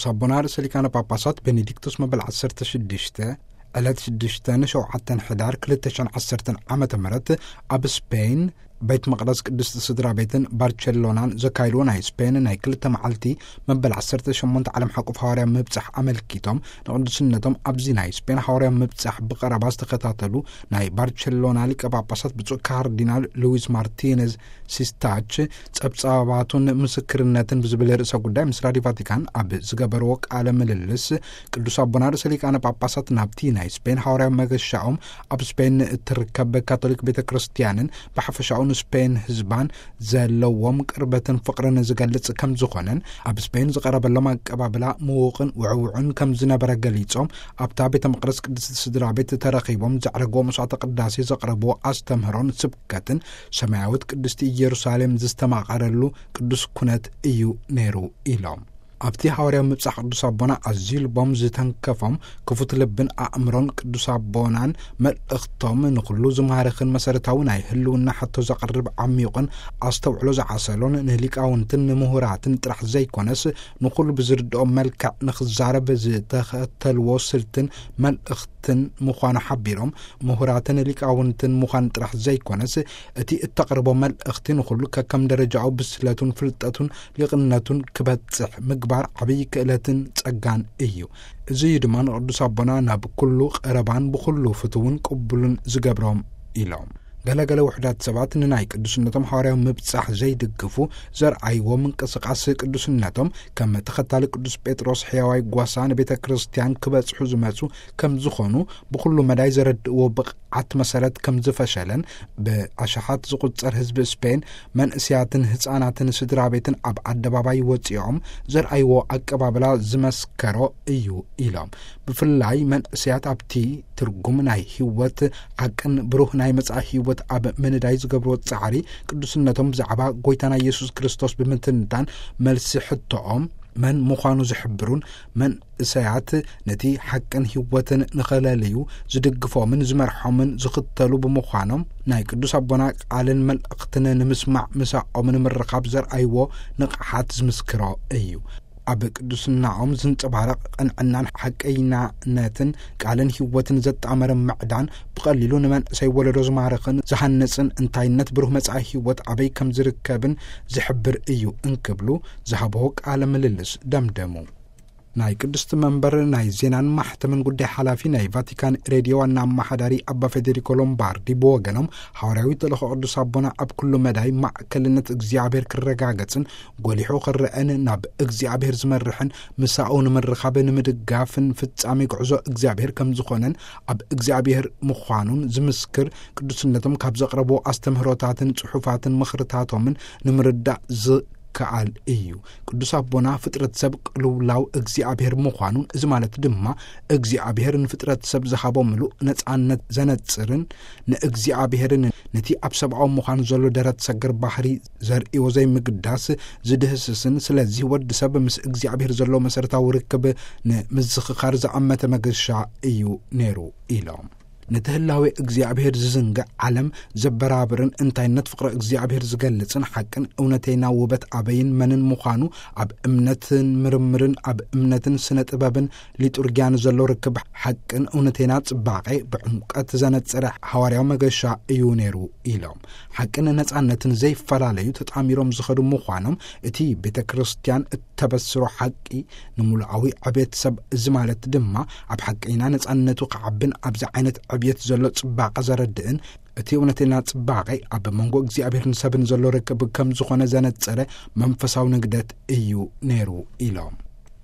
ሳቦና ርእሰ ሊቃነ ጳጳሳት ቤኔዲክቶስ መበል ዓሰርተ ሽዱሽተ ዕለት ሽዱሽተ ንሸውዓተ ሕዳር ክልተ ሽሕን ዓሰርተን ዓመተ ምህረት ኣብ ስፔን ቤት መቕደስ ቅድስቲ ስድራ ቤትን ባርቸሎናን ዘካይድዎ ናይ ስፔን ናይ ክልተ መዓልቲ መበል ዓሰርተ ሸሞንተ ዓለም ሓቆፍ ሃዋርያ ምብጻሕ ኣመልኪቶም ንቅዱስነቶም ኣብዚ ናይ ስፔን ሃዋርያ ምብጻሕ ብቐረባ ዝተኸታተሉ ናይ ባርቸሎና ሊቀ ጳጳሳት ብፁዕ ካርዲናል ሉዊስ ማርቲነዝ ሲስታች ጸብጻባቱን ምስክርነትን ብዝብል ርእሰ ጉዳይ ምስ ራዲዮ ቫቲካን ኣብ ዝገበርዎ ቃለ ምልልስ ቅዱስ ኣቦና ርእሰ ሊቃነ ጳጳሳት ናብቲ ናይ ስፔን ሃዋርያ መገሻኦም ኣብ ስፔን እትርከብ ካቶሊክ ቤተ ክርስቲያንን ብሓፈሻኡ ንስፔን ህዝባን ዘለዎም ቅርበትን ፍቕርን ዝገልጽ ከም ዝኾነን ኣብ ስፔን ዝቐረበሎም ኣቀባብላ ምዉቕን ውዕውዕን ከም ዝነበረ ገሊጾም ኣብታ ቤተ መቕደስ ቅድስቲ ስድራ ቤት ተረኺቦም ዘዕረግዎ መስዋዕተ ቅዳሴ ዘቕረብዎ ኣስተምህሮን ስብከትን ሰማያዊት ቅድስቲ ኢየሩሳሌም ዝተማቐረሉ ቅዱስ ኩነት እዩ ነይሩ ኢሎም። ኣብቲ ሃዋርያዊ ምብጻሕ ቅዱስ ኣቦና ኣዝዩ ልቦም ዝተንከፎም ክፉት ልብን ኣእምሮን ቅዱስ ኣቦናን መልእኽቶም ንኹሉ ዝማርኽን መሰረታዊ ናይ ህልውና ሕቶ ዘቕርብ ዓሚቑን ኣስተውዕሎ ዝዓሰሎን ንሊቃውንትን ንምሁራትን ጥራሕ ዘይኮነስ ንኹሉ ብዝርድኦም መልክዕ ንኽዛረብ ዝተኸተልዎ ስልትን መልእኽትን ምዃኑ ሓቢሮም ምሁራትን ሊቃውንትን ምዃን ጥራሕ ዘይኮነስ እቲ እተቕርቦ መልእኽቲ ንኹሉ ከከም ደረጃኡ ብስለቱን ፍልጠቱን ሊቕነቱን ክበጽሕ ምግባር ዓብዪ ክእለትን ጸጋን እዩ። እዚ እዩ ድማ ንቅዱስ ኣቦና ናብ ኩሉ ቀረባን ብኹሉ ፍትውን ቅቡልን ዝገብሮም ኢሎም። ገለገለ ውሕዳት ሰባት ንናይ ቅዱስነቶም ሃዋርያዊ ምብጻሕ ዘይድግፉ ዘርኣይዎ ምንቅስቃስ ቅዱስነቶም ከም ተኸታሊ ቅዱስ ጴጥሮስ ሕያዋይ ጓሳ ንቤተ ክርስቲያን ክበጽሑ ዝመጹ ከም ዝኾኑ ብኹሉ መዳይ ዘረድእዎ ብቕዓት መሰረት ከም ዝፈሸለን ብኣሽሓት ዝቁጸር ህዝቢ ስፔን መንእስያትን ህጻናትን ስድራ ቤትን ኣብ ኣደባባይ ወጺኦም ዘርኣይዎ ኣቀባብላ ዝመስከሮ እዩ ኢሎም። ብፍላይ መንእስያት ኣብቲ ትርጉም ናይ ህይወት ሓቅን ብሩህ ናይ መጻኢ ህይወት ኣብ ምንዳይ ዝገብርዎ ጻዕሪ ቅዱስነቶም ብዛዕባ ጎይታና ኢየሱስ ክርስቶስ ብምትንታን መልሲ ሕቶኦም መን ምዃኑ ዝሕብሩን መንእሰያት ነቲ ሓቅን ህይወትን ንኸለልዩ ዝድግፎምን ዝመርሖምን ዝኽተሉ ብምዃኖም ናይ ቅዱስ ኣቦና ቃልን መልእኽትን ንምስማዕ ምሳኦም ንምርኻብ ዘርኣይዎ ንቕሓት ዝምስክሮ እዩ። ኣብ ቅዱስናኦም ዝንጸባረቕ ቅንዕናን ሓቀይናነትን ቃልን ህይወትን ዘጣመረ ምዕዳን ብቐሊሉ ንመንእሰይ ወለዶ ዝማርኽን ዝሃንጽን እንታይነት ብሩህ መጻኢ ህይወት ኣበይ ከም ዝርከብን ዝሕብር እዩ እንክብሉ ዝሃብዎ ቃለ ምልልስ ደምደሙ። ናይ ቅድስቲ መንበር ናይ ዜናን ማሕተምን ጉዳይ ሓላፊ ናይ ቫቲካን ሬድዮ ዋና ኣመሓዳሪ ኣባ ፌዴሪኮ ሎምባርዲ ብወገኖም ሃዋርያዊ ተልእኾ ቅዱስ ኣቦና ኣብ ኩሉ መዳይ ማእከልነት እግዚኣብሔር ክረጋገጽን ጎሊሑ ክረአን ናብ እግዚኣብሔር ዝመርሕን ምሳኡ ንምርኻብ ንምድጋፍን ፍጻሜ ጉዕዞ እግዚኣብሔር ከም ዝኾነን ኣብ እግዚኣብሔር ምዃኑን ዝምስክር ቅዱስነቶም ካብ ዘቕረብዎ ኣስተምህሮታትን ጽሑፋትን ምኽርታቶምን ንምርዳእ ዝከኣል እዩ። ቅዱስ ኣቦና ፍጥረት ሰብ ቅልውላው እግዚኣብሔር ምዃኑን እዚ ማለት ድማ እግዚኣብሔር ንፍጥረት ሰብ ዝሃቦ ምሉእ ነጻነት ዘነጽርን ንእግዚኣብሔርን ነቲ ኣብ ሰብኣዊ ምዃን ዘሎ ደረት ሰገር ባህሪ ዘርእዮ ዘይምግዳስ ዝድህስስን ስለዚህ ወዲ ሰብ ምስ እግዚኣብሔር ዘሎ መሰረታዊ ርክብ ንምዝኽኻር ዝኣመተ መገሻ እዩ ነይሩ ኢሎም። ነቲ ህላዌ እግዚኣብሔር ዝዝንግዕ ዓለም ዘበራብርን እንታይነት ፍቕሪ እግዚኣብሔር ዝገልጽን ሓቅን እውነተይና ውበት ኣበይን መንን ምዃኑ ኣብ እምነትን ምርምርን ኣብ እምነትን ስነ ጥበብን ሊጡርጊያን ዘሎ ርክብ ሓቅን እውነተይና ጽባቐ ብዕምቀት ዘነጸረ ሃዋርያዊ መገሻ እዩ ነይሩ ኢሎም። ሓቅን ነጻነትን ዘይፈላለዩ ተጣሚሮም ዝኸዱ ምዃኖም እቲ ቤተ ክርስቲያን እተበስሮ ሓቂ ንምሉኣዊ ዕቤት ሰብ እዚ ማለት ድማ ኣብ ሓቀይና ነጻነቱ ክዓብን ኣብዚ ዓይነት ዕብየት ዘሎ ጽባቐ ዘረድእን እቲ እውነተይና ጽባቐ ኣብ መንጎ እግዚኣብሔርን ሰብን ዘሎ ርክብ ከም ዝኾነ ዘነጸረ መንፈሳዊ ንግደት እዩ ነይሩ ኢሎም።